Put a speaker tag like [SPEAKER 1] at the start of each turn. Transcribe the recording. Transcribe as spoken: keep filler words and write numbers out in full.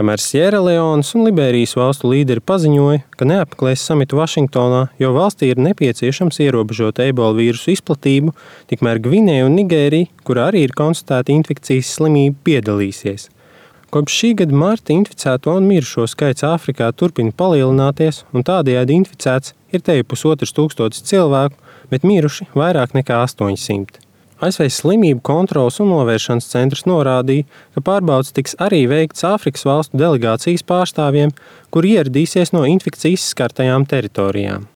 [SPEAKER 1] Kamēr Sieraleonas un Liberijas valstu līderi paziņoja, ka neapmeklēs samitu Vašingtonā, jo valstī ir nepieciešams ierobežot ebola vīrusu izplatību, tikmēr Gvineja un Nigērija, kurā arī ir konstatēta infekcijas slimība, piedalīsies. Kopš šī gada marta inficēto un mirušo skaits Āfrikā turpina palielināties, un tādējādi inficēts ir te pusotrs tūkstotis cilvēku, bet miruši vairāk nekā astoņsimt. A S V slimību kontroles un novēršanas centrs norādīja, ka pārbaudes tiks arī veikts Āfrikas valstu delegācijas pārstāvjiem, kuri ieradīsies no infekcijas skartajām teritorijām.